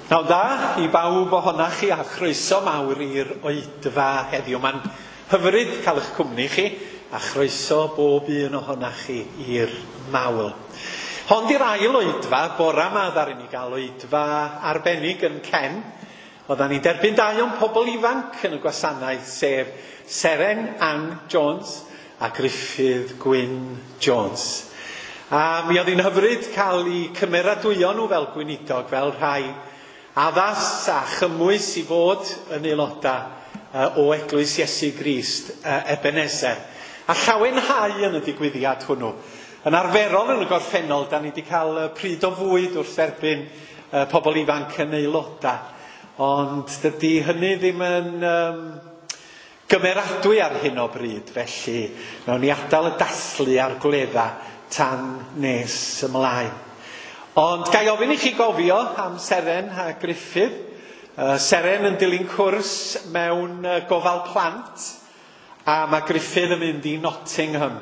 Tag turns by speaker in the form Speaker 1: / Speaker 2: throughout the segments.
Speaker 1: Pnawn da i bawb ohonach chi a chroeso mawr i'r oedfa heddiw. Mae'n hyfryd cael eich cwmni chi a chroeso bob un ohonach chi i'r mawl. Hon di'r ail oedfa, bora 'ma ddaru ni gael oedfa arbennig yn Cen. Oeddan ni'n derbyn dau o'n pobl ifanc yn y gwasanaeth, sef Seren Ann Jones a Gruffydd Gwyn Jones. A mi oedd hi'n hyfryd cael eu cymeradwyo nhw fel gweinidog, fel rhai addas a chymwys i fod yn aelodau o Eglwys Iesu Grist Ebenezer. A llawenhau yn y digwyddiad hwnnw. Yn arferol yn y gorffennol, da ni wedi cael pryd o fwyd wrth dderbyn pobl ifanc yn aelodau. Ond dydy hynny ddim yn gymeradwy ar hyn o bryd, felly nawn ni adael y dathlu a'r gwledda tan nes ymlaen. Ond ga i ofyn i chi gofio am Seren a Gruffydd. Seren yn dilyn cwrs mewn gofal plant, a mae Gruffydd yn mynd i Nottingham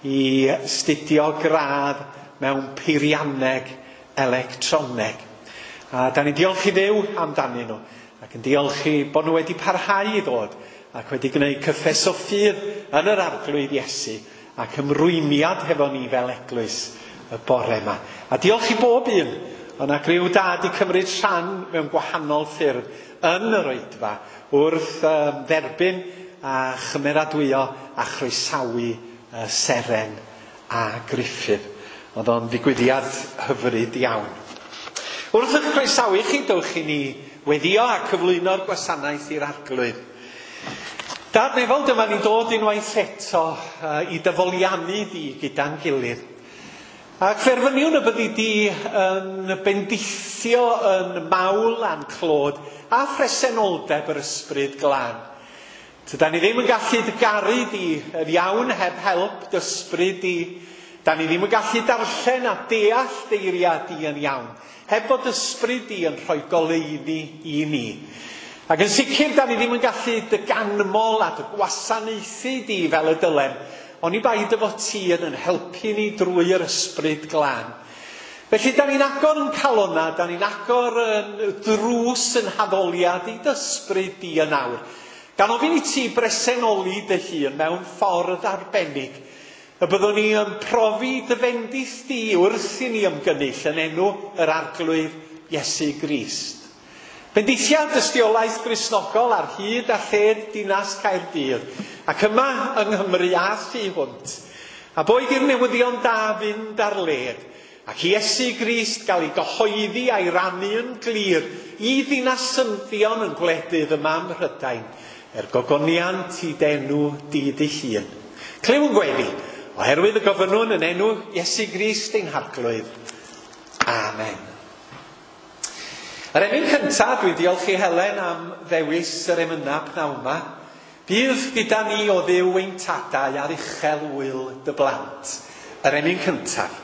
Speaker 1: i studio gradd mewn peirianneg electroneg. A da ni'n diolch i Dduw amdanyn nhw, ac yn diolch i bod nhw wedi parhau i ddod ac wedi gwneud cyffes o ffydd yn yr Arglwydd Iesu ac ymrwymiad hefo ni fel eglwys y bore yma. A diolch i bob un, o'na griw da 'di cymryd rhan mewn gwahanol ffyrdd yn yr oedfa wrth dderbyn a chymeradwyo a chroesawu Seren a Gruffydd. Oedd o'n ddigwyddiad hyfryd iawn. Wrth eich croesawu chi, dewch i ni weddio a cyflwyno'r gwasanaeth i'r Arglwydd. Dad nefol, dyma ni'n dod unwaith eto i dy foliannu di gyda'n gilydd. Ac ferfyniwn y byddi di yn bendithio yn mawl a'n clod a phresenoldeb yr Ysbryd Glân. Tydan ni ddim yn gallu dy garu di yn iawn heb help dy ysbryd di. Da ni ddim yn gallu darllen a deall dy eiriau di yn iawn heb fod ysbryd di yn rhoi goleuni i ni. Ac yn sicr, da ni ddim yn gallu dy ganmol a dy gwasanaethu di fel y dylem, oni bai dy fod ti yn helpu ni drwy yr Ysbryd Glân. Felly, da ni'n agor yn calona, da ni'n agor yn drws yn haddoliad i dy ysbryd di yn awr. Gan ofyn i ti bresenoli dy hun mewn ffordd arbennig, y byddwn ni yn profi dy fendith di wrth i ni ymgynnull yn enw yr Arglwydd Iesu Grist. Bendithia dystiolaeth Gristnogol ar hyd a lled dinas Caerdydd, ac yma yng Nghymru a thu hwnt. A boed i'r newyddion da fynd ar led, ac Iesu Grist gael ei gyhoeddi a'i rannu yn glir i ddinasyddion yn gwledydd yma ym Mhrydain, er gogoniant i d'enw di dy hun. Clyw yn gweddi, oherwydd y gofynnwn yn enw Iesu Grist ein Harglwydd. Amen. Yr emyn cyntaf, dwi'n diolch i Helen am ddewis yr emynau pnawn 'ma. Bydd gyda ni o Dduw ein tadau ar uchel ŵyl dy blant. Yr emyn cyntaf.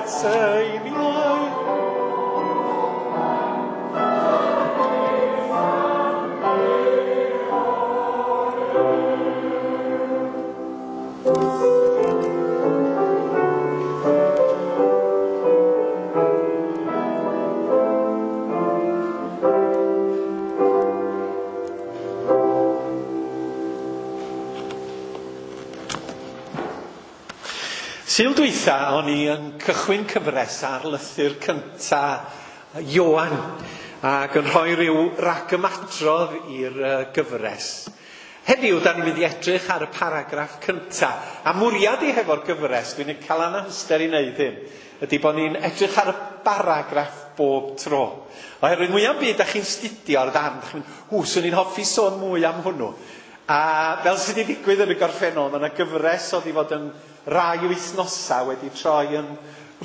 Speaker 1: Cytseiniau. Sul dwytha o'n i yn cychwyn cyfres ar lythyr cynta Ioan ac yn rhoi rhyw ragymadrodd i'r gyfres. Heddiw, da ni'n mynd i edrych ar y paragraff cynta. A mwriad i hefo'r gyfres, dwi'n cael anhawster i wneud hyn, ydy bod ni'n edrych ar y paragraff bob tro. Oherwydd mwyaf byd da chi'n studio'r ddarn, da chi'n mynd, swn i'n hoffi sôn mwy am hwnnw. A fel sydd wedi digwydd yn y gorffennol, mae yna gyfres oedd i fod yn rai wythnosau wedi troi yn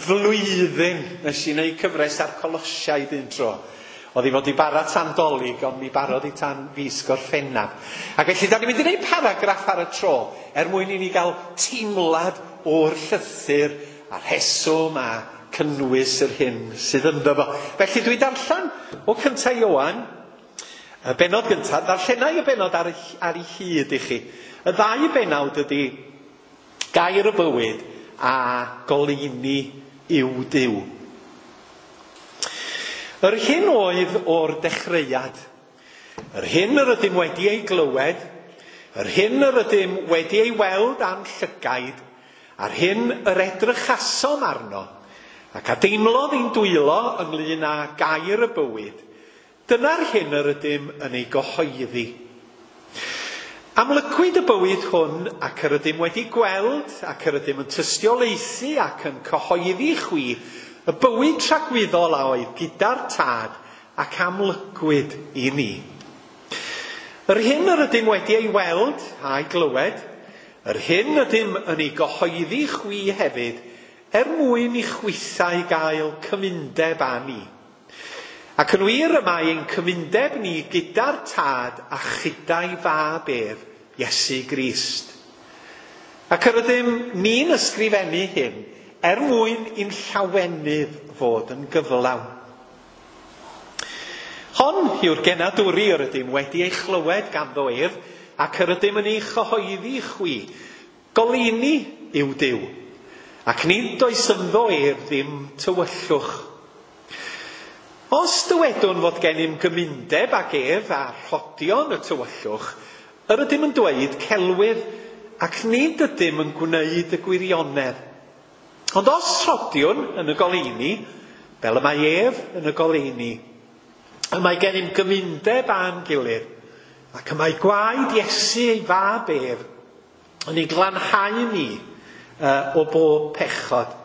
Speaker 1: flwyddyn. Nes i wneud cyfres ar Colosiaid un tro. Oedd i fod i bara tan Dolig, ond mi barodd i tan fis Gorffennaf. Ac felly, da ni'n mynd i wneud paragraff ar y tro, er mwyn i ni gael teimlad o'r llythyr a'r rheswm a cynnwys yr hyn sydd ynddo fo. Felly, dwi'n darllen o cynta Ioan, y bennod gyntaf, darllenai y bennod ar ei hyd i chi. Y ddau bennawd ydy Gair y bywyd a goleuni yw Duw. Yr hyn oedd o'r dechreuad, yr hyn yr ydym wedi ei glywed, yr hyn yr ydym wedi ei weld â'n llygaid, a'r hyn yr edrychasom arno, ac a deimlodd ein dwylo ynglyn â gair y bywyd, dyna'r hyn yr ydym yn ei gyhoeddi. Amlygwyd y bywyd hwn ac yr ydym wedi gweld ac yr ydym yn tystiolaethu ac yn cyhoeddi chwi y bywyd tragwyddol a oedd gyda'r tad ac amlygwyd i ni. Yr hyn yr ydym wedi ei weld a'i glywed, yr hyn ydym yn ei gyhoeddi chwi hefyd, er mwyn i chwithau gael cymundeb â ni. Ac yn wir y mae ein cymundeb ni gyda'r tad a chyda'i fab ef, Iesu Grist. Ac yr ydym ni'n ysgrifennu hyn er mwyn i'n llawenydd fod yn gyflawn. Hon yw'r genadwri yr ydym wedi ei chlywed ganddo ef, ac yr ydym yn ei chyhoeddi chwi. Goleuni yw Duw, ac nid oes ynddo ef ddim tywyllwch. Os dywedwn fod gennym gymundeb ag ef a rhodion y tywyllwch, yr ydym yn dweud celwydd ac nid ydym yn gwneud y gwirionedd. Ond os rhodiwn yn y goleuni, fel y mae ef yn y goleuni, y mae gennym gymundeb â'n gilydd, ac y mae gwaed Iesu ei fab ef yn ei glanhau ni o bob pechod.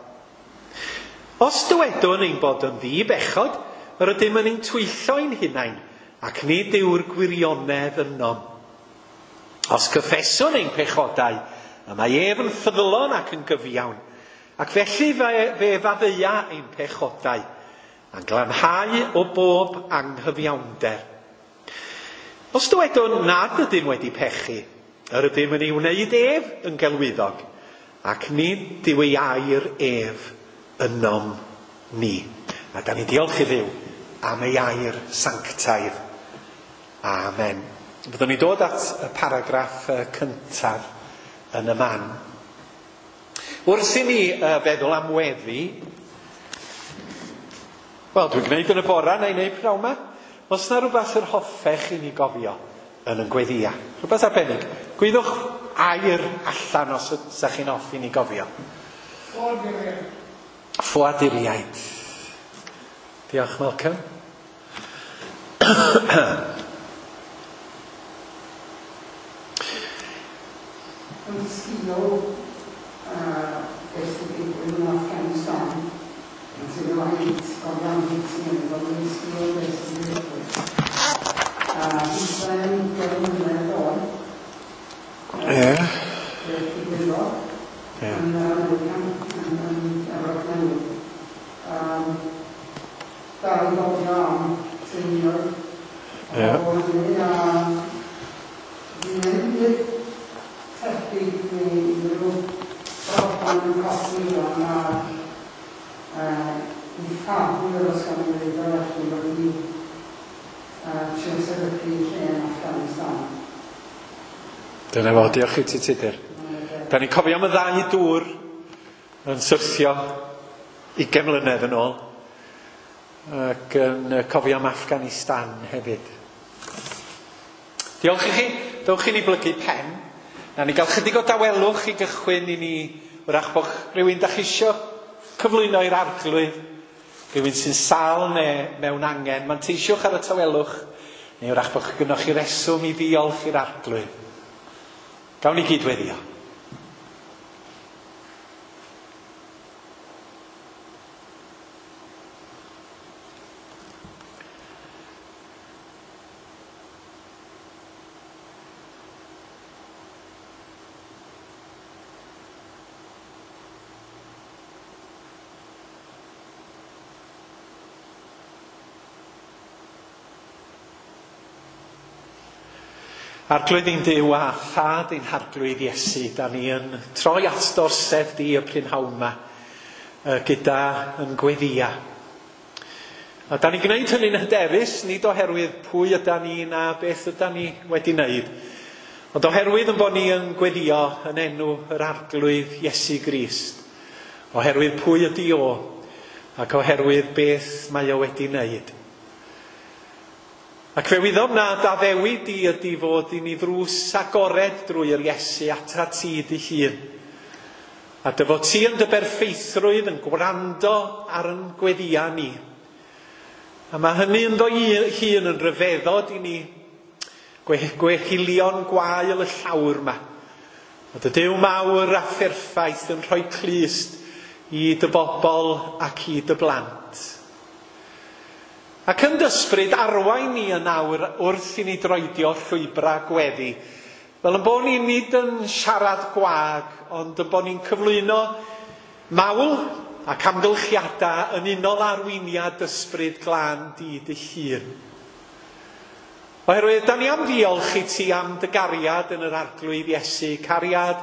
Speaker 1: Os dywedwn ein bod yn ddi-bechod, yr ydym yn ein twyllo ein hunain, ac nid yw'r gwirionedd ynom. Os cyffeswn ein pechodau, y mae ef yn ffyddlon ac yn gyfiawn, ac felly fe faddeuia ein pechodau, a'n glanhau o bob anghyfiawnder. Os dywedwn nad ydym wedi pechu, yr ydym yn ei wneud ef yn gelwyddog, ac nid yw ei air ef ynom ni. A da ni diolch i Dduw am ei air sanctaidd. Amen. Byddwn ni dod at y paragraff cyntaf yn y man. Wrth i ni feddwl am weddi, wel, dwi'n gwneud yn y bora neu wneud pnawn 'ma. Os na rhywbeth yr hoffech i ni gofio yn y gweddia, rhywbeth arbennig, gwyddwch air allan os ydych chi'n hoffi ni gofio.
Speaker 2: Ffoaduriaid.
Speaker 1: Ffoaduriaid. Diolch, Malcolm.
Speaker 2: Yn sgil beth sy'n digwydd yn Afghanistan, yn sgil o hyd, o ran hyd sy'n mynd, ond yn sgil beth sy'n digwydd. Israel 10 mlynedd oed. Beth digwyddodd yn America, yn Efrog Newydd. Dal i gofio am teuluoedd. O hynny, a ddim byd tebyg neu unrhyw broblem yn codi rwan a I ffafr os gawn ni ddweud o felly wedi trio sefydlu lle yn Afghanistan.
Speaker 1: Dyna fo, diolch i ti Tudur. Da ni'n cofio am y ddau dŵr yn syrthio 20 mlynedd yn ôl ac yn cofio am Afghanistan hefyd. Diolch i chi. Dewch i ni blygu pen. Na ni gael chydig o dawelwch i gychwyn i ni wrach bod rhywun da chi isio cyflwyno i'r arglwydd, rhywun sy'n sâl neu mewn angen. Manteisiwch ar y tawelwch, neu wrach bod gynnoch chi reswm i ddiolch i'r arglwydd. Gawn ni gyd weddio. Arglwydd ein Duw a Thad ein Harglwydd Iesu, da ni yn troi at d'orsedd di y prynhawn yma gyda yn gweddia. A da ni'n gwneud hynny'n hyderus, nid oherwydd pwy yda ni na beth yda ni wedi wneud, ond oherwydd yn bod ni yn gweddio yn enw yr Arglwydd Iesu Grist, oherwydd pwy ydi o, ac oherwydd beth mae o wedi wneud. Ac fe wyddom na d'addewid di ydi fod i ni ddrws agored drwy yr Iesu atat ti dy hun. A dy fod ti yn dy berffeithrwydd yn gwrando ar yn gweddia ni. A mae hynny ynddo hun yn rhyfeddod i ni, gwehilion gwael y llawr yma. A dy Duw mawr a pherffaith yn rhoi clust i dy bobl ac i dy blant. Ac yn dysbryd arwain ni yn awr wrth i ni droedio llwybrau gweddi. Fel yn bod ni nid yn siarad gwag, ond yn bod ni'n cyflwyno mawl ac amgylchiadau yn unol arweiniad ysbryd glân di dy hun. Oherwydd, da ni am ddiolch i ti am dy gariad yn yr Arglwydd Iesu, cariad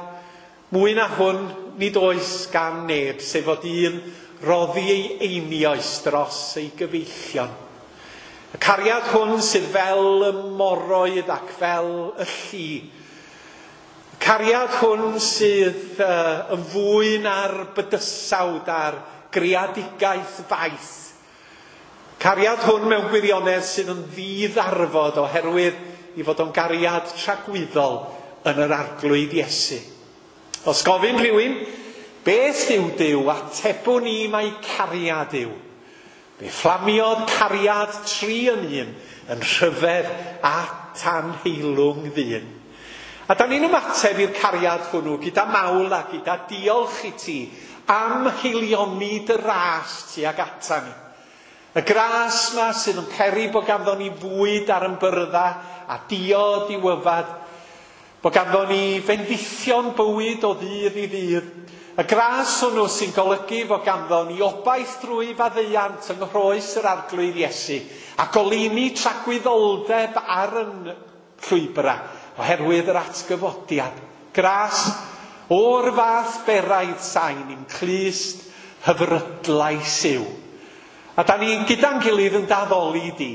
Speaker 1: mwy na hwn nid oes gan neb, sef fod un roddi ei einioes dros ei gyfeillion. Y cariad hwn sydd fel y moroedd ac fel y lli. Y cariad hwn sydd yn fwy na'r bydysawd a'r greadigaeth faith. Cariad hwn mewn gwirionedd sydd yn ddiddarfod oherwydd i fod o'n gariad tragwyddol yn yr Arglwydd Iesu. Os gofyn rhywun, beth yw Duw, atebwn ni mai cariad yw. Fe fflamiodd cariad 3 yn 1 yn rhyfedd a tanheilwng ddyn. A da ni'n ymateb i'r cariad hwnnw gyda mawl a gyda diolch i ti am heilioni dy ras tuag ata ni. Y gras ma sydd yn peri bod ganddo ni fwyd ar yn byrdda a diod i'w yfad, bod ganddo ni fendithion bywyd o ddydd i ddydd. Y gras hwnnw sy'n golygu fod ganddo ni obaith drwy faddeuant yng nghroes yr Arglwydd Iesu a goleuni tragwyddoldeb ar yn llwybrau oherwydd yr atgyfodiad. Gras o'r fath beraidd sain i'n clust hyfrydlais yw. A da ni gyda'n gilydd yn daddoli di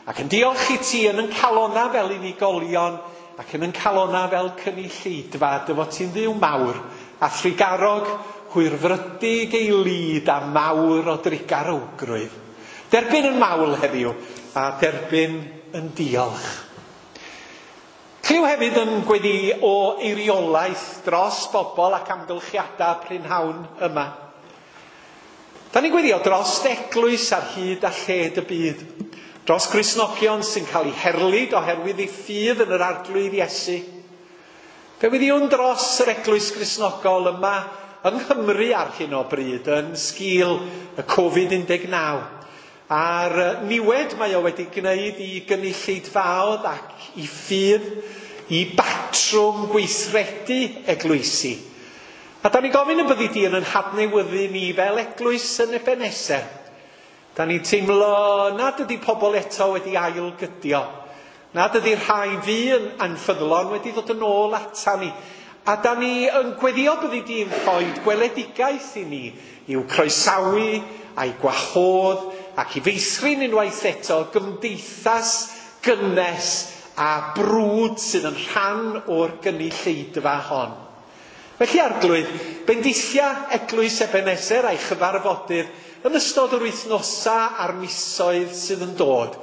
Speaker 1: ac yn diolch i ti yn yn calona fel unigolion ac yn yn calona fel cynulleidfa, dy fod ti'n Dduw mawr a thrugarog, hwyrfrydig ei lid a mawr o drugarowgrwydd. Derbyn yn mawl heddiw a derbyn yn diolch. Clyw hefyd yn gweddi o eiriolaeth dros bobl ac amgylchiadau prynhawn yma. Da ni'n gweddio dros eglwys ar hyd a lled y byd, dros Gristnogion sy'n cael eu herlid oherwydd eu ffydd yn yr Arglwydd Iesu. Fe weddiwn dros yr eglwys Gristnogol yma yng Nghymru ar hyn o bryd yn sgil y Covid-19 a'r niwed mae o wedi gwneud i gynulleidfaoedd ac i ffydd, i batrwm gweithredu eglwysi. A da ni'n gofyn y byddi di yn hadnewyddu ni fel eglwys yn Ebeneser. Da ni'n teimlo nad ydy pobl eto wedi ailgydio, nad ydy'r rhai fu yn anffyddlon wedi dod yn ôl ata ni. A da ni yn gweddio byddi di'n rhoi gweledigaeth i ni i'w croesawu a'i gwahodd ac i feithrin unwaith eto gymdeithas gynnes a brwd sydd yn rhan o'r gynulleidfa hon. Felly Arglwydd, bendithia Eglwys Ebeneser a'i chyfarfodydd yn ystod yr wythnosa a'r misoedd sydd yn dod.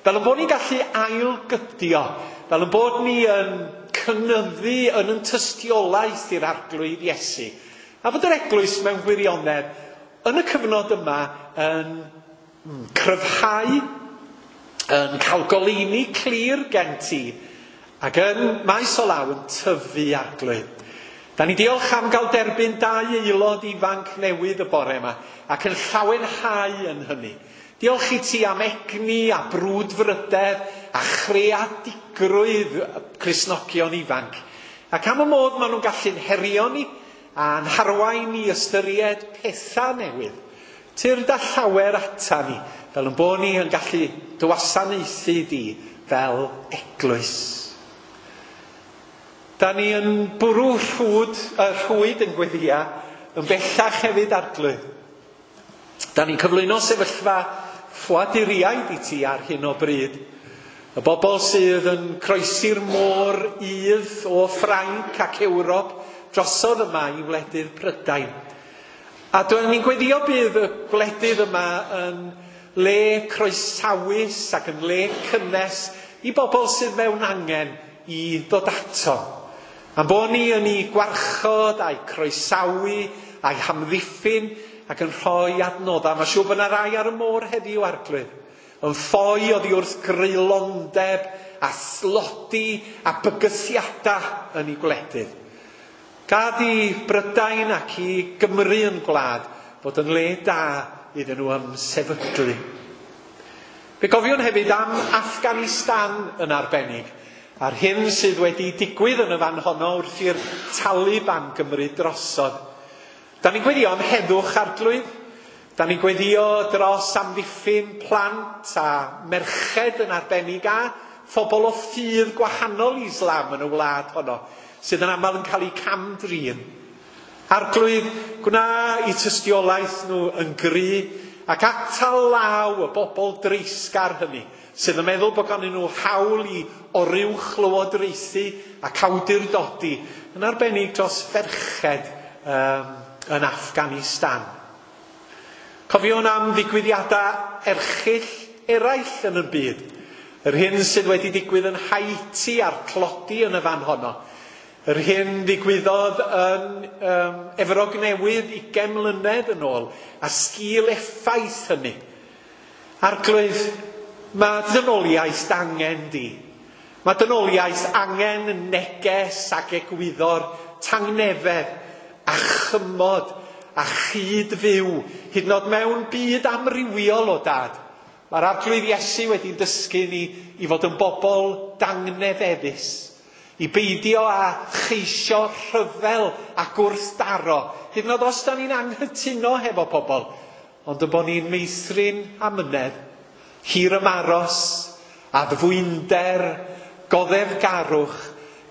Speaker 1: Fel yn bod ni'n gallu ailgydio, fel yn bod ni yn cynyddu yn yn tystiolaeth i'r Arglwydd Iesu. A fod yr eglwys mewn gwirionedd yn y cyfnod yma yn cryfhau, yn cael goleuni clir gen ti, ac yn maes o law yn tyfu Arglwydd. Da ni diolch am gael derbyn dau aelod ifanc newydd y bore yma, ac yn llawenhau yn hynny. Diolch i ti am egni a brwdfrydedd a chreadigrwydd Cristnogion ifanc. Ac am y modd maen nhw'n gallu'n herio ni a'n harwain i ystyried pethau newydd. Tyrd â llawer ata ni, fel yn bod ni yn gallu dy wasanaethu di fel eglwys. Da ni yn bwrw rhwyd yn gweddia yn bellach hefyd Arglwydd. Da ni'n cyflwyno sefyllfa ffoaduriaid i ti ar hyn o bryd. Y bobl sydd yn croesi'r môr udd o Ffrainc ac Ewrop drosodd yma i wledydd Prydain. A dwi'n ni'n gweddio bydd y gwledydd yma yn le croesawus ac yn le cynnes i bobl sydd mewn angen i ddod ato. Am bod ni yn ei gwarchod a'i croesawu a'i hamddiffyn ac yn rhoi adnoddau. Mae'n siŵr bod yna rai ar y môr heddiw Arglwydd. Yn ffoi oddi wrth greulondeb a thlodi a bygythiadau yn ei gwledydd. Gad i Brydain ac i Gymru yn gwlad fod yn le da iddyn nhw ymsefydlu. Fe gofiwn hefyd am Afghanistan yn arbennig, a'r hyn sydd wedi digwydd yn y fan honno wrth i'r Taliban gymryd drosodd. Da ni'n gweddio am heddwch Arglwydd. Da ni'n gweddio dros amddiffyn plant a merched yn arbennig a phobl o ffydd gwahanol i Islam yn y wlad honno, sydd yn aml yn cael eu cam-drin. Arglwydd, gwna i tystiolaeth nhw yn gry ac atal law y bobl dreisgar hynny, sydd yn meddwl bod ganddyn nhw hawl i oruwchlywodraethu ac awdurdodi, yn arbennig dros ferched yn Afghanistan. Cofiwn am ddigwyddiadau erchyll eraill yn y byd. Yr hyn sydd wedi digwydd yn Haiti a'r tlodi yn y fan honno. Yr hyn ddigwyddodd yn Efrog Newydd 20 mlynedd yn ôl, a sgil effaith hynny. Arglwydd, mae dynoliaeth angen di. Mae dynoliaeth angen neges ac egwyddor tangnefedd a chymod a chyd-fyw, hyd yn oed mewn byd amrywiol o dad. Mae'r Arglwydd Iesu wedi dysgu ni i fod yn bobl dangnefeddus, i beidio â cheisio rhyfel a gwrthdaro, hyd yn oed os da ni'n anghytuno hefo pobl, ond y bod ni'n meithrin amynedd, hir ymaros, addfwynder, goddefgarwch,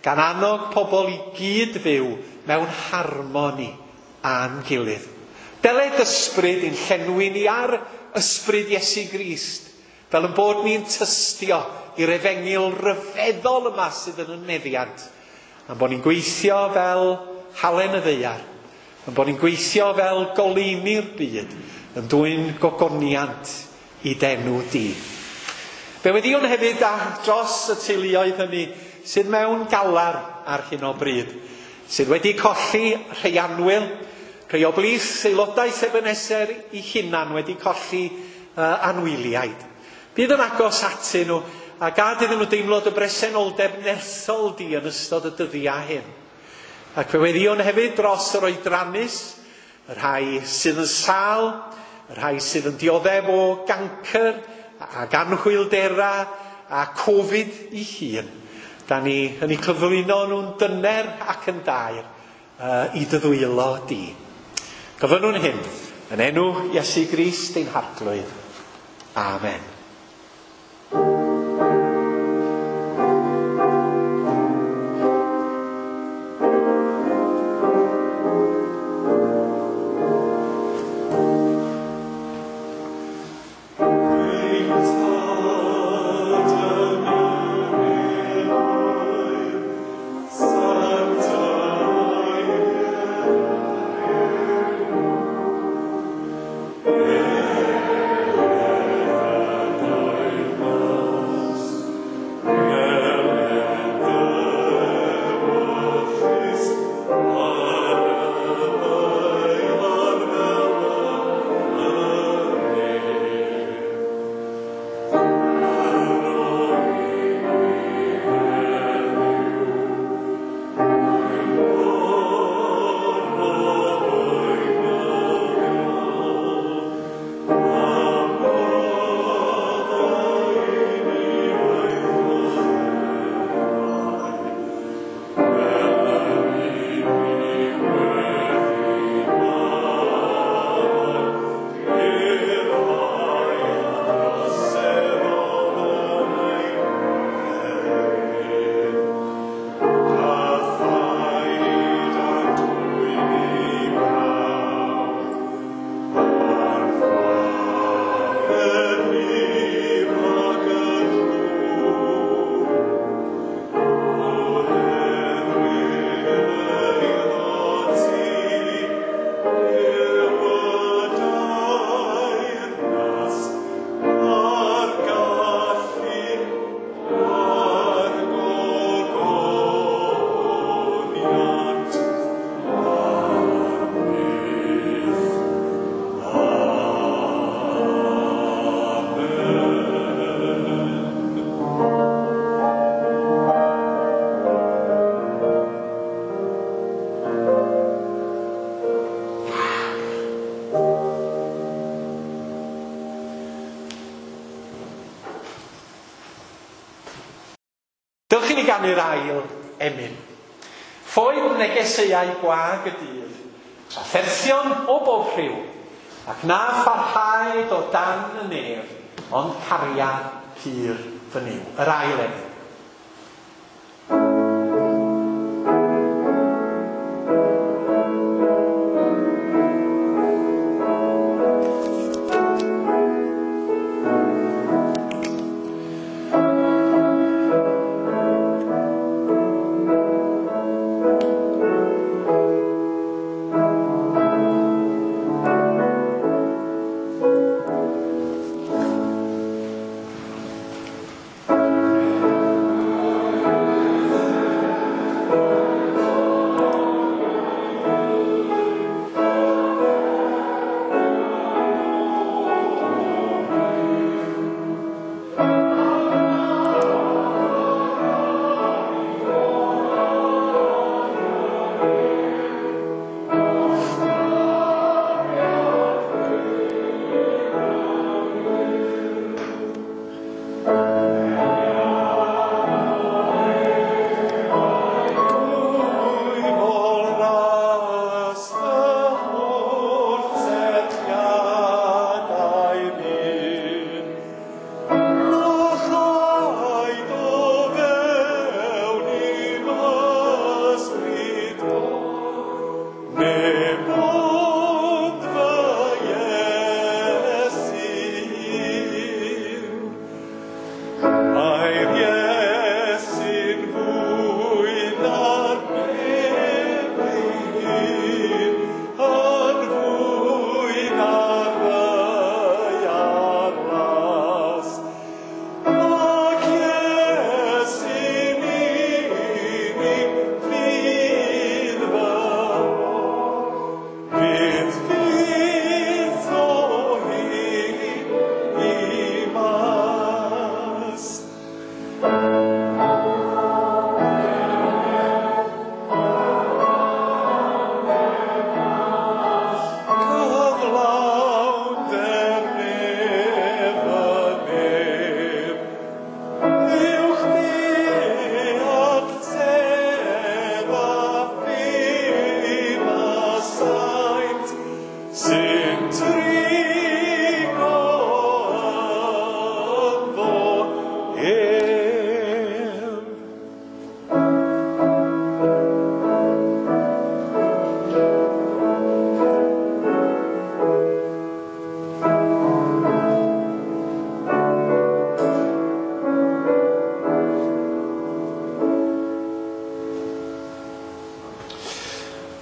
Speaker 1: gan annog pobl i gyd-fyw mewn harmoni â'n gilydd. Deled ysbryd i'n llenwi ni ar ysbryd Iesu Grist, fel yn bod ni'n tystio i'r efengyl ryfeddol yma sydd yn y meddiant. A'n bod ni'n gweithio fel halen y ddaear, yn bod ni'n gweithio fel goleuni'r byd, yn dwyn gogoniant i d'enw di. Fe weddïwn hefyd dros y teuluoedd hynny sydd mewn galar ar hyn o bryd, sydd wedi colli rhai annwyl, rhai o blith aelodau Ebeneser i hunan wedi colli anwyliaid. Bydd yn agos atyn nhw a gad iddyn nhw deimlo dy bresenoldeb nerthol di yn ystod y dyddiau hyn. Ac fe weddïwn hefyd dros yr oedrannus, y rhai sydd yn sâl, y rhai sydd yn dioddef o gancr ac anhwyldera a Covid i hun. Da ni yn eu cyflwyno nhw'n dyner ac yn daer i dy ddwylo di. Gofynnwn hyn yn enw Iesu Grist ein Harglwydd. Amen. ganu'r ail emyn. Ffoed negeseuau gwag y dydd, trafferthion o bob rhyw, ac na pharhaed o dan y nef, ond cariad pur fy Nuw. Yr ail emyn.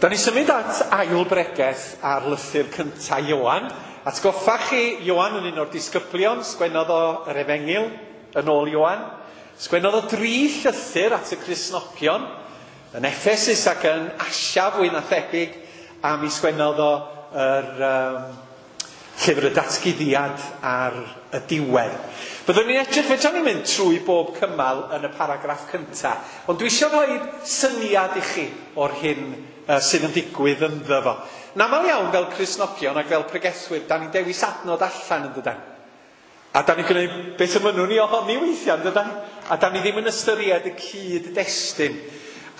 Speaker 1: Da ni symud at ail bregeth ar lythyr cynta Ioan. Atgoffa chi, Ioan yn un o'r disgyblion, sgwennodd o yr Efengyl yn ôl Ioan. Sgwennodd o 3 llythyr at y Cristnogion, yn Ephesus ac yn Asia fwy na thebyg, a mi sgwennodd o yr llyfr y datguddiad ar y diwedd. Byddwn ni'n edrych, fedra ni'n mynd trwy bob cymal yn y paragraff cynta, ond dwi eisiau rhoi syniad i chi o'r hyn sydd yn digwydd ynddo fo. Yn aml iawn fel Cristnogion ac fel pregethwyr, da ni'n dewis adnod allan yn dydan. A da ni'n gwneud beth y mynnwn ni ohoni weithiau yn dydan. A da ni ddim yn ystyried y cyd-destun.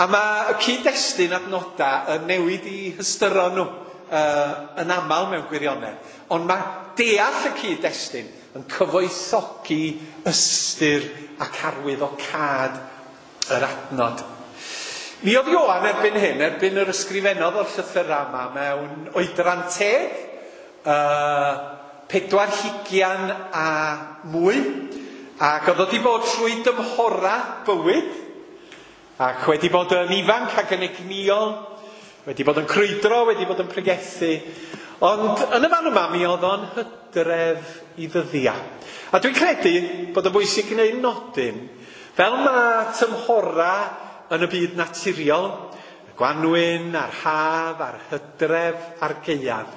Speaker 1: A mae y cyd-destun adnodau yn newid i hystyron nhw yn aml mewn gwirionedd. Ond mae deall y cyd-destun yn cyfoethogi ystyr ac arwyddocâd yr adnod. Mi oedd Ioan erbyn hyn, erbyn yr ysgrifennodd o'r llythyrau yma mewn oedran teg, 40 a mwy, ac oedd wedi bod trwy dymhora bywyd, ac wedi bod yn ifanc ac yn egnïol, wedi bod yn crwydro, wedi bod yn pregethu, ond yn y fan yma mi oedd o'n hydref i ddyddiau. A dwi'n credu bod yn bwysig gwneud nodyn, fel mae tymhora yn y byd naturiol, y gwanwyn, a'r haf, a'r hydref, a'r gaeaf.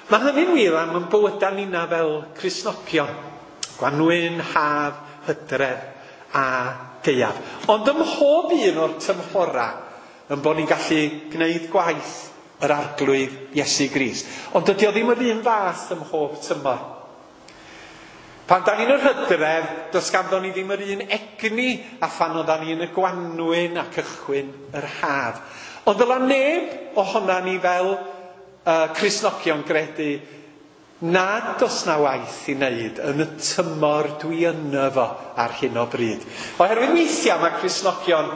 Speaker 1: Mae hynny'n wir am yn bywydau ninna fel Cristnogion. Gwanwyn, haf, hydref a gaeaf. Ond ym mhob un o'r tymhora yn bod ni'n gallu gwneud gwaith yr Arglwydd Iesu Grist. Ond dydy o ddim yr un fath ym mhob tymor. Pan da ni'n yr hydref, does ganddo ni ddim yr un egni a phan oeddan ni yn y gwanwyn a cychwyn yr haf. Ond ddyla neb ohona ni fel Cristnogion gredu nad oes na waith i wneud yn y tymor dwi yno fo ar hyn o bryd. Oherwydd weithiau mae Cristnogion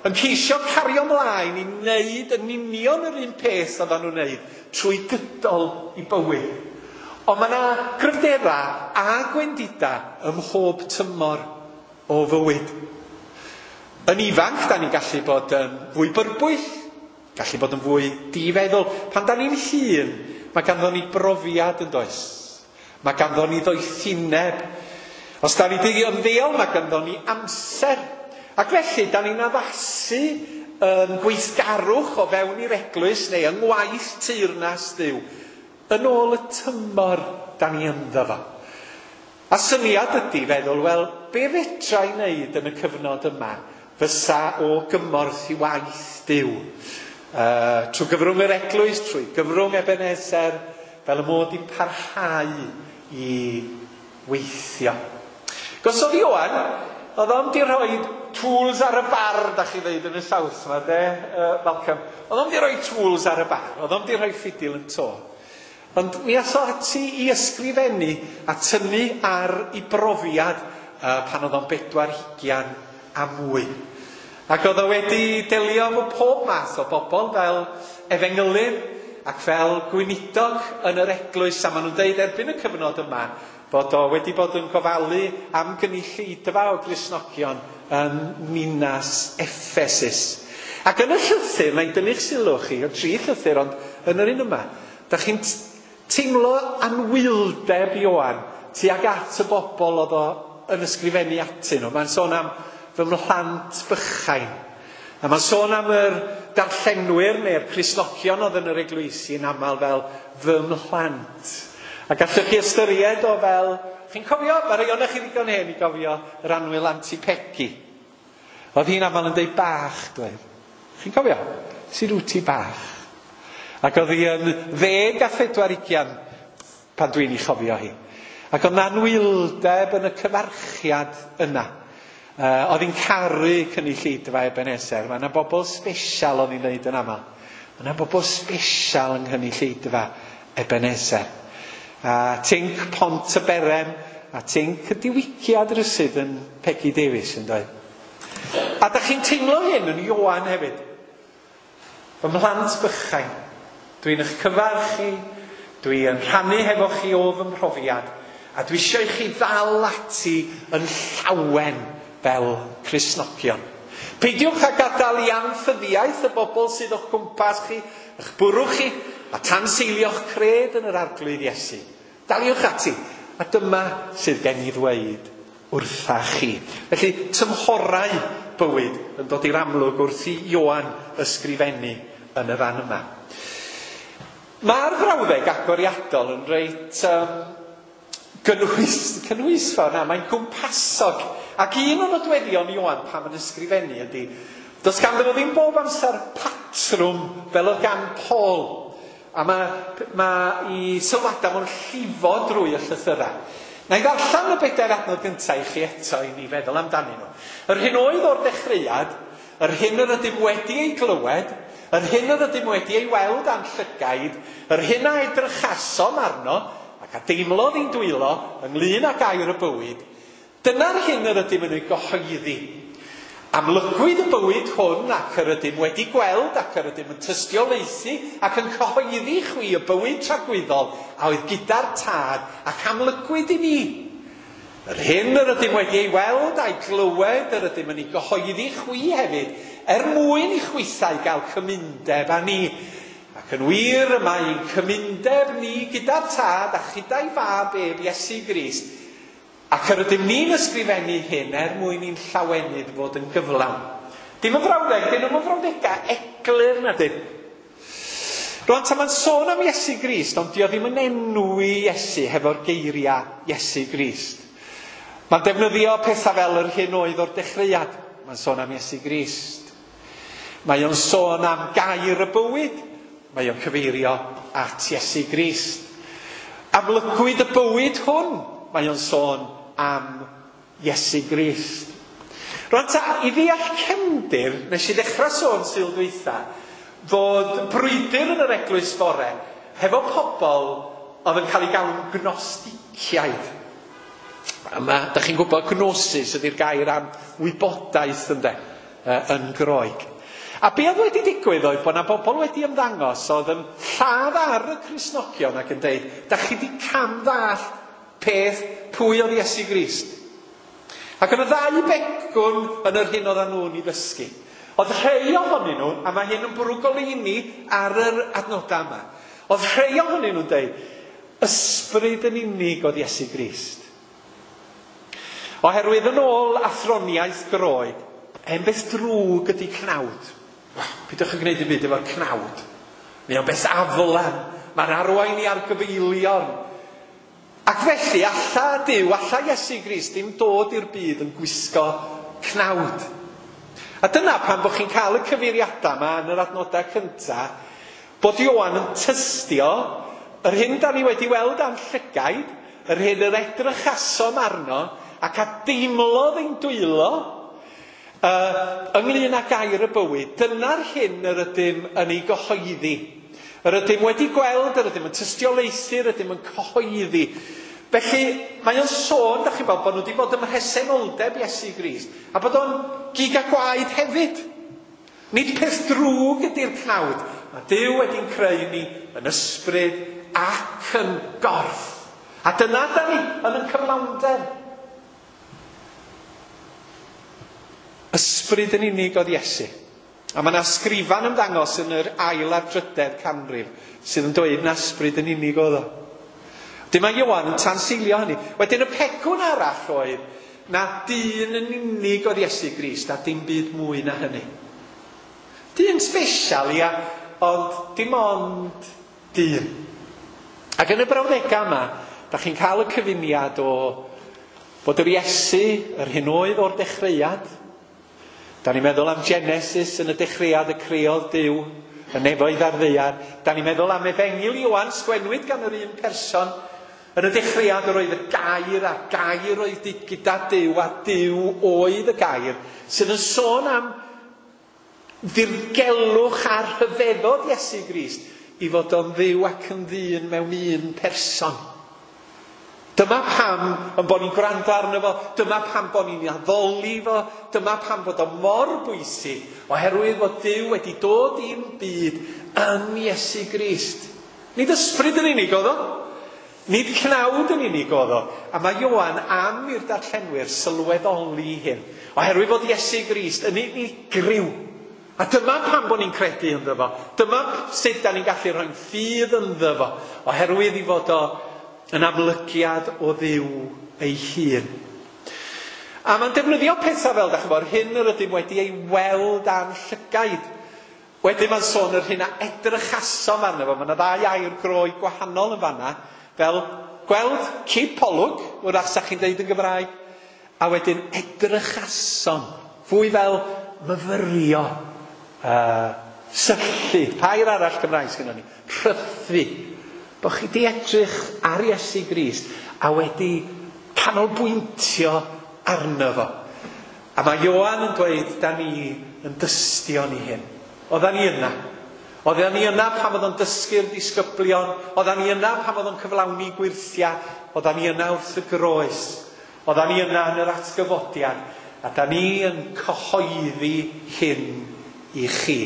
Speaker 1: yn ceisio cario ymlaen i wneud yn union yr un peth oedden nhw'n wneud trwy gydol i bywyd. Ond mae yna gryfderau a gwendidau ym mhob tymor o fywyd. Yn ifanc, da ni'n gallu bod yn fwy byrbwyll, gallu bod yn fwy difeddwl. Pan da ni'n hŷn, mae ganddo ni brofiad yn does. Mae ganddo ni ddoethineb. Os da ni wedi ymddeol, mae ganddo ni amser. Ac felly, da ni'n addasu yn gweithgarwch o fewn i'r eglwys neu yng ngwaith teyrnas Dduw yn ôl y tymor da ni ynddo fo. A syniad ydy feddwl, wel, be fedra i wneud yn y cyfnod yma fysa o gymorth i waith Duw? Trwy gyfrwng yr eglwys, trwy gyfrwng Ebenezer, fel y mod i'n parhau i weithio. Gosodd Ioan, oedd o'm di rhoi tools ar y bar, da chi ddeud yn y South ma, de, Malcolm. Oedd o'm di rhoi tools ar y bar, oedd o'm di rhoi ffidil yn to. Ond mi ath o ati i ysgrifennu a tynnu ar ei brofiad pan oedd o'n 40 a mwy. Ac oedd o wedi delio efo pob math o bobl fel efengylydd ac fel gweinidog yn yr eglwys, a maen nhw'n deud erbyn y cyfnod yma bod o wedi bod yn gofalu am gynulleidfa o Gristnogion yn ninas Effesus. Ac yn y llythyr, na i dynnu'ch sylw chi, o 3 llythyr, ond yn yr un yma, da chi'n teimlo anwyldeb Ioan tuag at y bobl oedd o yn ysgrifennu atyn nhw. Mae'n sôn am fy mhlant bychain. A mae'n sôn am yr darllenwyr neu'r Cristnogion oedd yn yr eglwysi yn aml fel fy mhlant. A gallwch chi ystyried o fel, chi'n cofio, mae rhai ohonoch chi ddigon hen i gofio yr annwyl Auntie Peggy. Oedd hi'n aml yn deud bach, dweud. Chi'n cofio? Sy'n rwti bach. Ac oedd hi yn 24 pan dwi'n ei chofio hi. Ac oedd anwyldeb yn y cyfarchiad yna. Oedd hi'n caru cynulleidfa Ebenezer. Mae yna bobl special oedd hi'n dweud yn aml. Mae yna bobl special yng nghynulleidfa Ebenezer. A tinc Pont y Berem, a tinc y diwygiad rywsut yn Peggy Davies yn dweud. A da chi'n teimlo hyn yn Ioan hefyd. Fy mhlant bychain, dwi'n eich cyfarch chi, dwi'n rhannu hefo chi o fy mhrofiad, a dwi eisiau i chi ddal ati yn llawen fel Cristnogion. Peidiwch â gadael i anffyddiaeth y bobl sydd o'ch cwmpas chi, eich bwrw chi, a tanseilio'ch cred yn yr Arglwydd Iesu. Daliwch ati, a dyma sydd gen i ddweud wrtha chi. Felly, tymhorau bywyd yn dod i'r amlwg wrth i Ioan ysgrifennu yn y fan yma. Mae'r frawddeg agoriadol yn reit gynhwysfawr, na, mae'n gwmpasog. Ac un o nodweddion Ioan pan mae'n ysgrifennu ydy, does ganddo fo ddim bob amser patrwm fel oedd gan Paul. A mae i sylwadau fo'n llifo drwy y llythyrau. Na i ddarllen y 4 adnod gyntaf i chi eto i ni feddwl amdanyn nhw. Yr hyn oedd o'r dechreuad, yr hyn yr ydym wedi ei glywed, yr hyn yr ydym wedi ei weld â'n llygaid, yr hyn a edrychasom arno, ac a deimlodd ein dwylo ynglyn â gair y bywyd, dyna'r hyn yr ydym yn ei gyhoeddi. Amlygwyd y bywyd hwn ac yr ydym wedi gweld ac yr ydym yn tystiolaethu ac yn cyhoeddi chwi y bywyd tragwyddol a oedd gyda'r Tad ac amlygwyd i ni. Yr hyn yr ydym wedi ei weld a'i glywed yr ydym yn ei gyhoeddi chwi hefyd, er mwyn i chwithau gael cymundeb â ni. Ac yn wir y mae ein cymundeb ni gyda'r Tad a chyda'i Fab ef Iesu Grist. Ac yr ydym ni'n ysgrifennu hyn er mwyn i'n llawenydd fod yn gyflawn. Dim yn frawddeg, dyn nhw'n frawddegau eglur na dyn. Rwan, ta mae'n sôn am Iesu Grist, ond dio ddim yn enwi Iesu hefo'r geiriau Iesu Grist. Mae'n defnyddio pethau fel yr hyn oedd o'r dechreuad. Mae'n sôn am Iesu Grist. Mae o'n sôn am gair y bywyd. Mae o'n cyfeirio at Iesu Grist. Amlygwyd y bywyd hwn. Mae o'n sôn am Iesu Grist. Rwan ta, i ddeall cefndir, nes i ddechrau sôn Sul dwytha, fod brwydr yn yr eglwys fore hefo pobl oedd yn cael ei galw'n gnosticiaid. Yma, da chi'n gwybod, gnosis ydy'r gair am wybodaeth, ynde, yn Groeg. A be oedd wedi digwydd oedd bod yna bobl wedi ymddangos oedd yn lladd ar y Cristnogion ac yn deud, da chi wedi cam-ddallt peth pwy oedd Iesu Grist. Ac oedd y ddau begwn yn yr hyn oedden nhw'n ei ddysgu. Oedd rhai ohonyn nhw, a mae hyn yn bwrw goleuni ar yr adnodau yma, oedd rhai ohonyn nhw'n deud, ysbryd yn unig oedd Iesu Grist. Oherwydd yn ôl athroniaeth Groeg, hen beth drwg ydy cnawd. Peidiwch yn gwneud dim byd efo'r cnawd. Mae o'n beth aflan, mae'n arwain i argyfeilion. Ac felly, alla Duw, alla Iesu Grist ddim dod i'r byd yn gwisgo cnawd. A dyna pam bod chi'n cael y cyfeiriadau yma yn yr adnodau cyntaf, bod Ioan yn tystio yr hyn da ni wedi weld â'n llygaid, yr hyn yr edrychasom arno, ac a deimlodd ein dwylo ynglyn â gair y bywyd. Dyna'r hyn yr ydym yn ei gyhoeddi. Yr ydym wedi gweld, yr ydym yn tystiolaethu, yr ydym yn cyhoeddi. Felly, mae o'n sôn, da chi'n gweld, bod nhw wedi bod ym mhresenoldeb Iesu Grist, a bod o'n gig a gwaed hefyd. Nid peth drwg ydy'r cnawd. Mae Duw wedi'n creu ni yn ysbryd ac yn gorff. A dyna da ni yn y cyflawnder. Ysbryd yn unig oedd Iesu. A mae yna sgrifan ymddangos yn yr ail a'r drydedd canrif sydd yn dweud na ysbryd yn unig oedd o. Wedyn mae Ioan yn tanseilio hynny. Wedyn y pegwn arall oedd na dyn yn unig oedd Iesu Grist a dim byd mwy na hynny. Dyn special, ia, ond dim ond dyn. Ac yn y brawddegau yma, da chi'n cael y cyfuniad o fod yr Iesu, yr hyn oedd o'r dechreuad. Da ni'n meddwl am Genesis yn y dechreuad y creodd Duw, y nefoedd a'r ddaear. Da ni'n meddwl am Efengyl Ioan, sgwennwyd gan yr un person. Yn y dechreuad yr oedd y gair, a gair oedd gyda Duw, a Duw oedd y gair, sydd yn sôn am ddirgelwch a rhyfeddod Iesu Grist i fod o'n dduw ac yn ddyn mewn un person. Dyma pam yn bod ni'n gwrando arno fo, dyma pam bod ni'n addoli fo, dyma pam bod o mor bwysig, oherwydd fod Duw wedi dod i'n byd yn Iesu Grist. Nid ysbryd yn unig oedd o, nid cnawd yn unig oedd o, a mae Ioan am i'r darllenwyr sylweddoli hyn, oherwydd fod Iesu Grist yn unigryw. A dyma pam bod ni'n credu ynddo fo, dyma sut da ni'n gallu rhoi'n ffydd ynddo fo, oherwydd i fod o yn amlygiad o Dduw ei hun. A mae'n defnyddio pethau fel, da chi'n gwybod, hyn yr ydym wedi ei weld â'n llygaid. Wedyn mae'n sôn yr hyn a edrychasom arno fo. Mae yna ddau air Groeg gwahanol yn fanna, fel gweld cipolwg, wrach sa chi'n deud yn Gymraeg, a wedyn edrychasom, fwy fel myfyrio, syllu, pair arall Cymraeg sgynnon ni, rhythu. Bo chi di edrych ar Iesu Grist a wedi canolbwyntio arno fo. A mae Ioan yn dweud, da ni yn dystio ni hyn. Oeddan ni yna. Oeddan ni yna pan oedd o'n dysgu'r disgyblion. Oeddan ni yna pan oedd o'n cyflawni gwyrthiau. Oeddan ni yna wrth y groes. Oeddan ni yna yn yr atgyfodiad. A da ni yn cyhoeddi hyn i chi.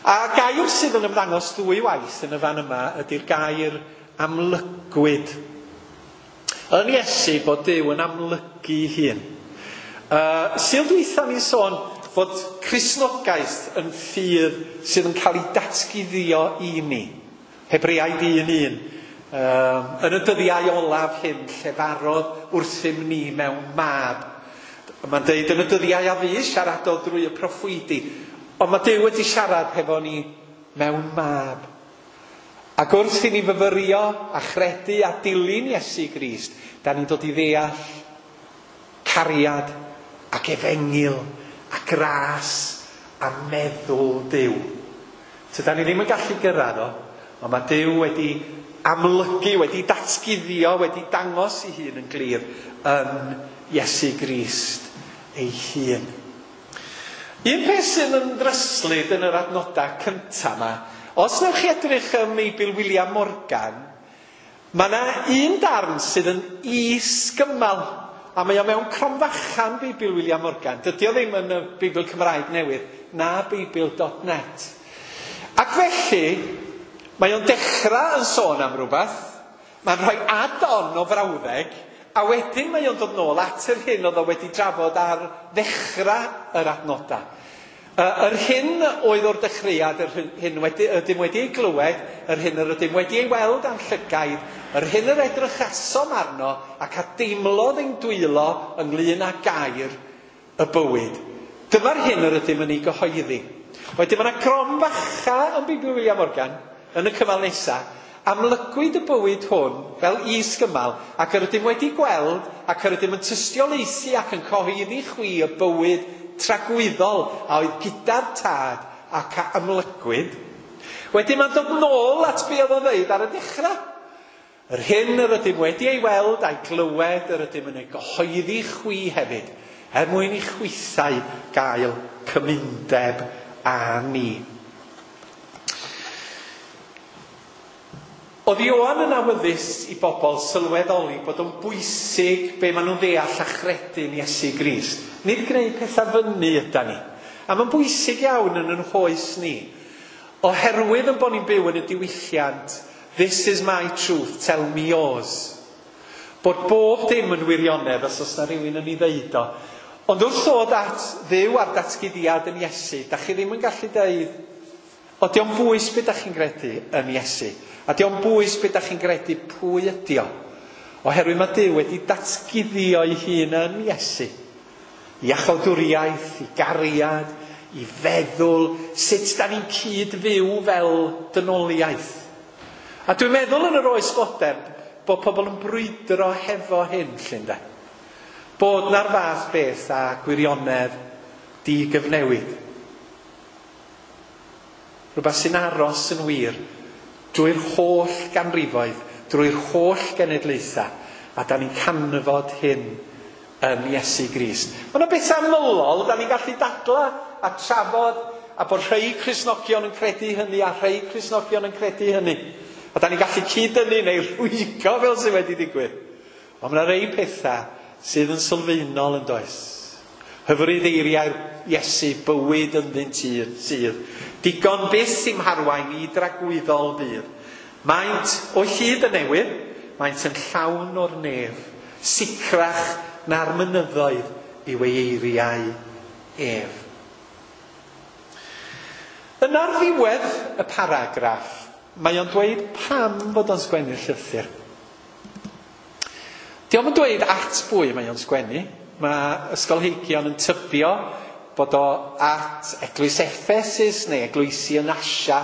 Speaker 1: A gair sydd yn ymddangos ddwy waith yn y fan yma ydy'r gair amlygwyd. Yn Iesu bod Duw yn amlygu hun. Sul dwytha ni'n sôn fod Cristnogaeth yn ffydd sydd yn cael ei datguddio i ni. Hebreaid 1:1. Yn y dyddiau olaf hyn llefarodd wrthym ni mewn mab. Mae'n deud yn y dyddiau a fu siaradodd drwy y proffwydi. Ond mae Duw wedi siarad hefo ni mewn mab. Ac wrth i ni fyfyrio a chredu a dilyn Iesu Grist, da ni'n dod i ddeall cariad ac efengyl a gras a meddwl Duw. So da ni ddim yn gallu gyrraedd o, ond mae Duw wedi amlygu, wedi datguddio, wedi dangos ei hun yn glir yn Iesu Grist ei hun. Un peth sydd yn ddryslyd yn yr adnodau cyntaf yma, os newch chi edrych ym Meibl William Morgan, mae yna un darn sydd yn is-gymal, a mae o mewn cromfachan Beibl William Morgan. Dydy o ddim yn y Beibl Cymraeg newydd, na Beibl.net. Ac felly, mae o'n dechrau yn sôn am rhywbeth, mae'n rhoi add-on o frawddeg, a wedyn mae o'n dod nôl at yr hyn oedd o wedi drafod ar ddechrau yr adnodau. Yr hyn oedd o'r dechreuad, yr hyn ydym wedi ei glywed, yr hyn yr ydym wedi ei weld â'n llygaid, yr hyn yr edrychasom arno ac a deimlodd ein dwylo ynglyn â gair y bywyd. Dyma'r hyn yr ydym yn ei gyhoeddi. Wedyn mae yna cromfacha yn Beibl William Morgan yn y cymal nesaf. Amlygwyd y bywyd hwn fel is-gymal ac yr ydym wedi gweld ac yr ydym yn tystiolaethu ac yn cyhoeddi chwi y bywyd tragwyddol a oedd gyda'r tad ac a amlygwyd. Wedyn mae'n dod nôl at be oedd o'n dweud ar y dechrau. Yr hyn yr ydym wedi ei weld a'i glywed yr ydym yn ei gyhoeddi chwi hefyd, er mwyn i chwithau gael cymundeb â ni. Oedd Ioan yn awyddus i bobl sylweddoli bod o'n bwysig be maen nhw'n ddeall a chredu'n Iesu Grist. Nid gwneud pethau fyny yda ni. A mae'n bwysig iawn yn yn hoes ni. Oherwydd yn bod ni'n byw yn y diwylliant, this is my truth, tell me yours. Bod bob dim yn wirionedd os oes na rhywun yn ei ddeud o. Ond wrth ddod at Dduw a'r datguddiad yn Iesu, da chi ddim yn gallu deud, o dio'm bwys be da chi'n gredu yn Iesu. A dio'm bwys be da chi'n gredu pwy ydi o. Oherwydd mae Duw wedi datguddio ei hun yn Iesu. I achawdwriaeth, i gariad, i feddwl, sut da ni'n cyd-fyw fel dynoliaeth. A dwi'n meddwl yn yr oes fodern bod pobl yn brwydro hefo hyn, lle ynde. Bod na'r fath beth a gwirionedd digyfnewid. Rhywbeth sy'n aros yn wir drwy'r holl ganrifoedd, drwy'r holl genedlaethau, a da ni'n canfod hyn yn Iesu Grist. Mae yna bethau ymylol, da ni'n gallu dadla a trafod, a bod rhai Cristnogion yn credu hynny a rhai Cristnogion yn credu hynny. A da ni'n gallu cyd-dynnu neu rhwygo fel sydd wedi digwydd. Ond mae yna rhai pethau sydd yn sylfaenol yn does. Hyfryd eiriau'r Iesu, bywyd ynddynt sydd. Digon byth i'm harwain i dragwyddol fydd. Maent o hyd yn newydd, maent yn llawn o'r nef, sicrach na'r mynyddoedd yw ei eiriau ef. Yn ar ddiwedd y paragraff, mae o'n dweud pam fod o'n sgwennu'r llythyr. Dio'm yn dweud at bwy mae o'n sgwennu. Mae ysgolheigion yn tybio bod o at eglwys Ephesus neu eglwysi yn Asia.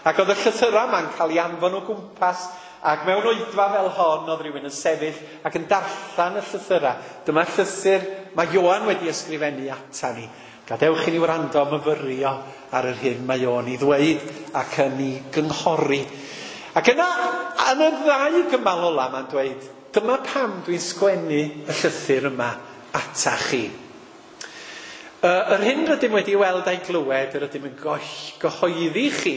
Speaker 1: Ac oedd y llythyrau yma'n cael ei anfon o gwmpas, ac mewn oedfa fel hon oedd rhywun yn sefyll ac yn darllen y llythyrau. Dyma llythyr mae Ioan wedi ysgrifennu ata ni. Gadewch i ni wrando a myfyrio ar yr hyn mae o'n ei ddweud ac yn ei gynghori. Ac yna, yn y ddau gymal ola, mae'n dweud, dyma pam dwi'n sgwennu y llythyr yma ata chi. Yr hyn rydym wedi weld a'i glywed, yr ydym yn gyhoeddi chi,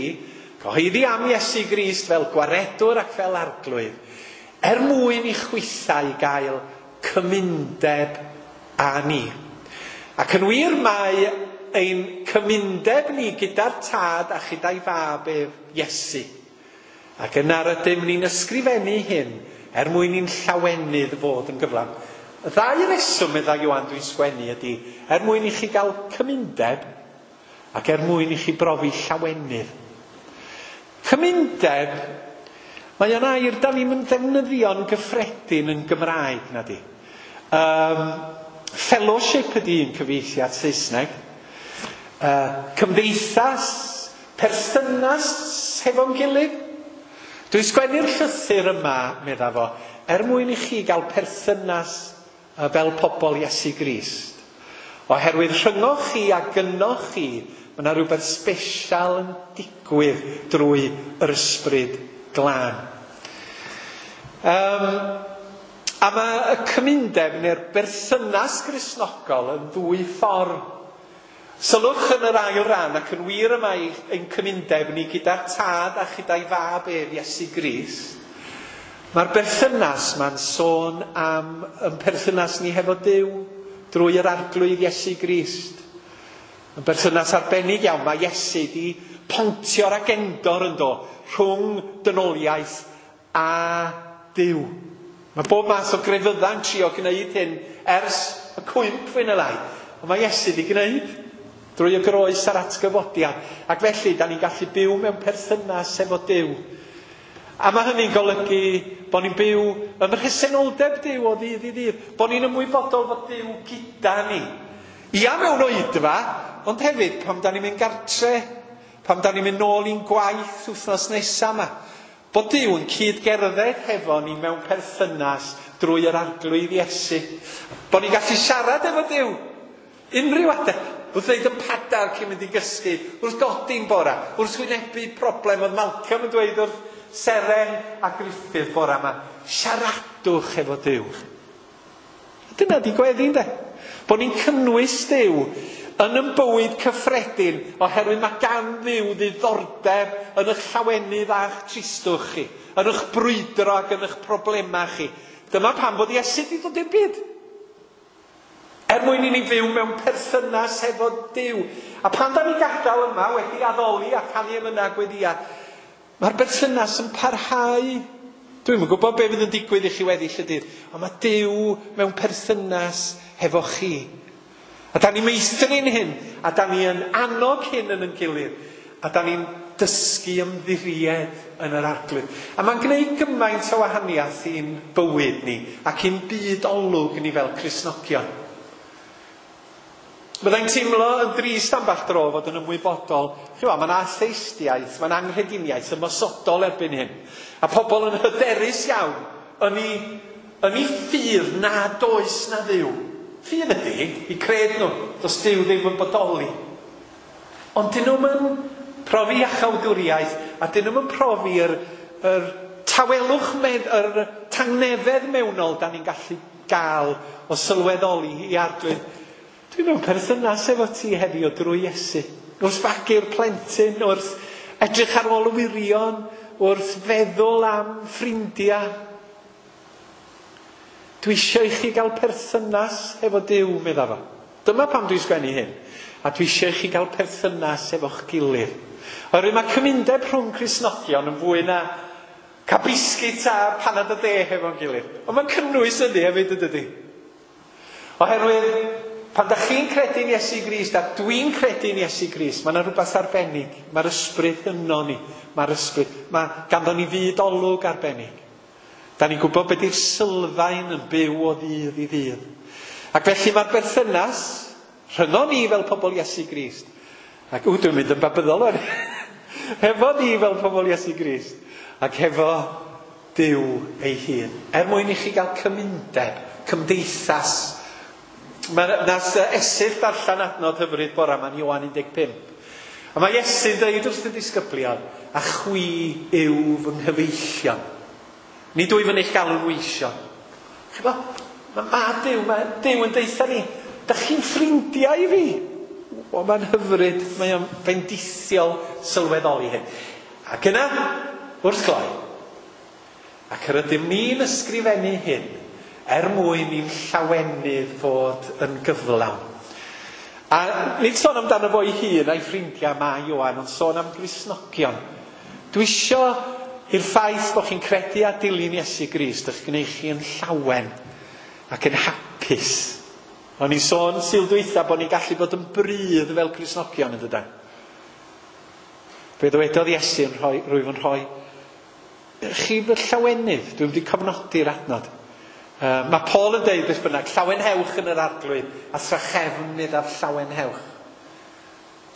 Speaker 1: gyhoeddi am Iesu Grist fel gwaredwr ac fel arglwydd, er mwyn i chwithau gael cymundeb â ni. Ac yn wir mae ein cymundeb ni gyda'r tad a chyda'i fab ef Iesu. Ac yna rydym ni'n ysgrifennu hyn er mwyn i'n llawenydd fod yn gyflawn. Y ddau reswm, meddai Ioan, dwi'n sgwennu ydy, er mwyn i chi gael cymundeb ac er mwyn i chi brofi llawenydd. Cymundeb, mae o'n air da ni'n ddefnyddio'n gyffredin yn Gymraeg, na di. Fellowship ydy un cyfieithiad Saesneg. Cymdeithas, perthynas hefo'n gilydd. Dwi'n sgwennu'r llythyr yma, medda fo, er mwyn i chi gael perthynas fel pobl Iesu Grist. Oherwydd rhyngoch chi a gynnoch chi, mae yna rhywbeth sbesial yn digwydd drwy yr ysbryd glân. A mae y cymundeb neu'r berthynas Gristnogol yn ddwy ffordd. Sylwch yn yr ail ran, ac yn wir y mae ein cymundeb ni gyda'r Tad a chyda'i Fab ef, Iesu Grist. Mae'r berthynas ma'n sôn am yn perthynas ni hefo Duw drwy yr Arglwydd Iesu Grist. Yn berthynas arbennig iawn, mae Iesu di pontio'r agendor yn do rhwng dynoliaeth a Duw. Mae bob math o grefydda'n trio gwneud hyn ers y cwymp fwy neu lai. Ond mae Iesu di gwneud drwy y groes a'r atgyfodiad. Ac felly, da ni'n gallu byw mewn perthynas efo Duw. A mae hynny'n golygu bod ni'n byw ym mhresenoldeb Duw o ddydd i ddydd. Bod ni'n ymwybodol fod Duw gyda ni. Ia mewn oedfa, ond hefyd pam da ni'n mynd gartre, pam da ni'n mynd nôl i'n gwaith wythnos nesaf yma. Bod Duw yn cyd-gerdded hefo ni mewn perthynas drwy yr Arglwydd Iesu. Bod ni'n gallu siarad efo Duw unrhyw adeg. Wrth ddeud yn padar cyn mynd i gysgu, wrth godi'n bora, wrth wynebu problem. Oedd Malcolm yn dweud wrth Seren a Gruffydd bora yma, siaradwch efo Duw. A dyna di gweddi, ynde? Bod ni'n cynnwys Duw yn yn bywyd cyffredin, oherwydd mae gan Dduw ddiddordeb yn eich llawenydd a'ch tristwch chi, yn eich brwydro ac yn eich problemau chi. Dyma pam bod Iesu wedi dod i'r byd. Er mwyn i ni fyw mewn perthynas hefo Duw. A pan da ni'n gadael yma wedi addoli a canu emynau a gweddïa, mae'r berthynas yn parhau. Dwi'm yn gwybod be fydd yn digwydd i chi weddill y dydd, ond mae Duw mewn perthynas hefo chi. A da ni'n meithrin hyn, a da ni yn annog hyn yn ein gilydd, a da ni'n dysgu ymddiried yn yr Arglwydd. A mae'n gwneud gymaint o wahaniaeth i'n bywyd ni, ac i'n byd olwg ni fel Cristnogion. Byddai'n teimlo yn drist ambell dro fod yn ymwybodol. Chi'mo, mae'n atheistiaeth, mae'n anghrediniaeth ymosodol erbyn hyn. A pobl yn hyderus iawn yn ei ffydd nad oes na Dduw. Ffydd ydy, i cred nhw, does Duw ddim yn bodoli. Ond dyn nhw'm yn profi iachawdwriaeth, a dyn nhw'm yn profi'r yr tawelwch, yr tangnefedd mewnol da ni'n gallu gael o sylweddoli i Arglwydd. Dwi mewn perthynas efo ti heddiw drwy Iesu. Wrth fagu'r plentyn, wrth edrych ar ôl y wirion, wrth feddwl am ffrindiau. Dwi eisiau i chi gael perthynas efo Duw, medda fo. Dyma pam dwi'n sgwennu hyn. A dwi eisiau i chi gael perthynas efo'ch gilydd. Oherwydd mae cymundeb rhwng Cristnogion yn fwy na cael biscuit a panad o de hefo'n gilydd. Ond mae'n cynnwys hynny hefyd, yn dydi? Oherwydd pan da chi'n credu'n Iesu Grist, a dwi'n credu'n Iesu Grist, mae yna rhywbeth arbennig. Mae'r ysbryd yno ni. Mae'r ysbryd. Mae ganddo ni fyd olwg arbennig. Da ni'n gwybod beth yw'r sylfaen yn byw o ddydd i ddydd. Ac felly mae'r berthynas rhyngon ni fel pobl Iesu Grist. Ac dwi'n mynd yn babyddol o'n. Hefo ni fel pobl Iesu Grist. Ac hefo Duw ei hun. Er mwyn i chi gael cymundeb, cymdeithas. Mae nas Esyllt darllen adnod hyfryd bora yma'n Ioan 15. A mae Iesu'n dweud wrth y disgyblion, a chwi yw fy nghyfeillion. Nid wyf yn eich galw'n weision. Chi'bo, mae Duw, mae Duw yn deutha ni, da chi'n ffrindiau i fi. O, mae'n hyfryd, mae o'n fendithiol sylweddoli hyn. Ac yna, wrth gloi, ac yr ydym ni'n ysgrifennu hyn er mwyn i'n llawenydd fod yn gyflawn. A nid sôn amdano fo ei hun a'i ffrindiau mae Ioan, ond sôn am Gristnogion. Dwi isio i'r ffaith bod chi'n credu a dilyn Iesu Grist eich gwneud chi yn llawen ac yn hapus. O'n i'n sôn Sul dwytha bod ni'n gallu bod yn brudd fel Cristnogion yn dydan. Fe ddywedodd Iesu yn rhoi, rwyf yn rhoi chi fy llawenydd. Dwi'n wedi cofnodi'r adnod. Mae Paul yn deud beth bynnag, llawenhewch yn yr Arglwydd, a thrachefn meddaf llawenhewch.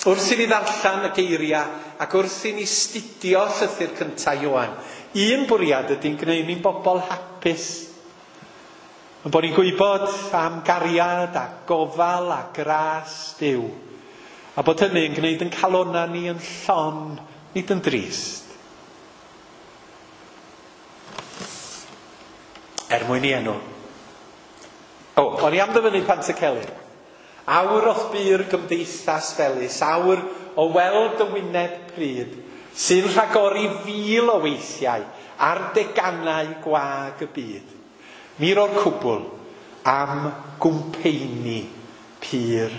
Speaker 1: Wrth i ni ddarllen y geiriau ac wrth i ni studio llythyr cyntaf Ioan, un bwriad ydy'n gwneud ni'n bobl hapus. Yn bod ni'n gwybod am gariad a gofal a gras Duw. A bod hynny'n gwneud yn calonnau ni yn llon, nid yn drist. Er mwyn i enw. O, o'n i am ddyfynnu Pantycelyn. Awr o'th bu'r gymdeithas felys, awr o weld y wyneb pryd, sy'n rhagori fil o weithiau ar deganau gwag y byd. Mi ro'r cwbl am gwmpeini pur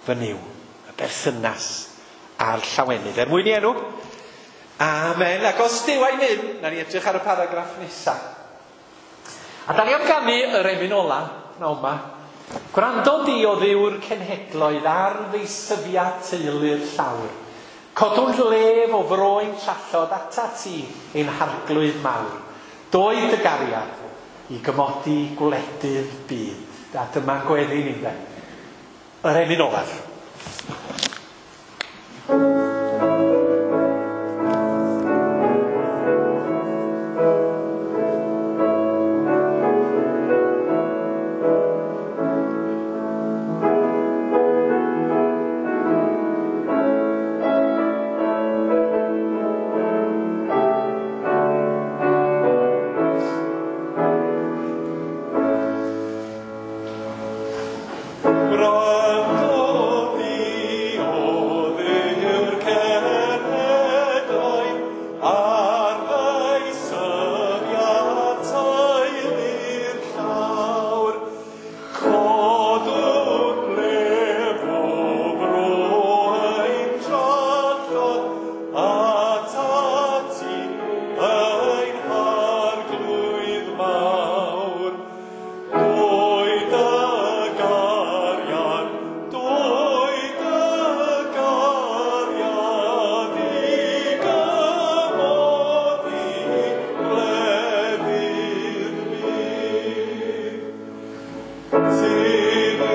Speaker 1: fy Nuw, y berthynas a'r llawenydd. Er mwyn i enw, amen. Ac os Duw a'i myn, na ni edrych ar y paragraff nesaf. A da ni am ganu yr emyn ola, pnawn 'ma. Gwrando di o Dduw'r cenhedloedd ar ddeisyfiad teulu'r llawr. Codwn lef o froen trallod atat ti ein harglwydd mawr. Doed dy gariad i gymodi gwledydd byd. A dyma'n gweddi ni, ynde. Yr emyn olaf.
Speaker 3: Gwrando di o Dduw'r cenhedloedd ar ddysyniad teulu'r llawr. Codwn lef o fro ein trallod atat ti ein harglwydd mawr. Doed dy gariad, doed dy gariad i gymodi gwledydd byd. Tyn i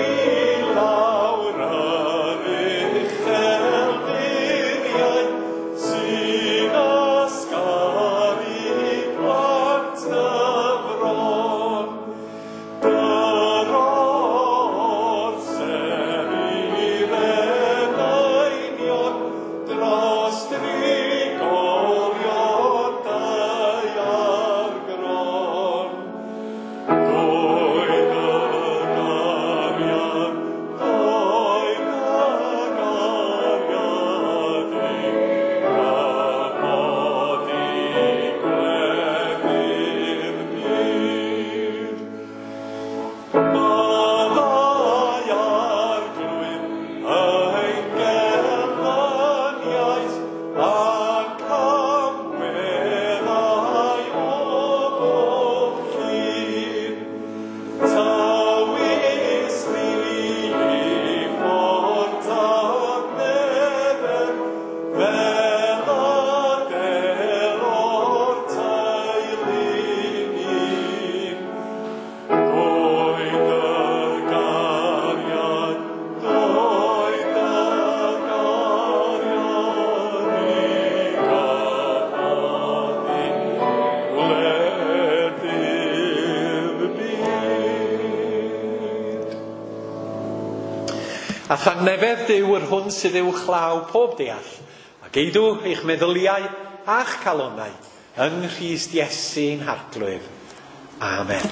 Speaker 3: lawr yr uchelfuriau sy'n ysgaru plant y fron. Dyro'r ser i'r enainion dros drigolion daear gron. Doed dy gariad, doed dy gariad i gymodi gwledydd byd. Maddau arglwydd ein gelyniaeth a'n camweddau o bob llun. Tywys ni i ffordd tangnefedd, fel adel o'r teulu'n un. Doed dy gariad, doed dy gariad i gymodi gwledydd byd.
Speaker 1: A thangnefedd Duw yr hwn sydd uwchlaw pob deall, a geidw eich meddyliau a'ch calonnau yng Nghrist Iesu'n Harglwydd. Amen.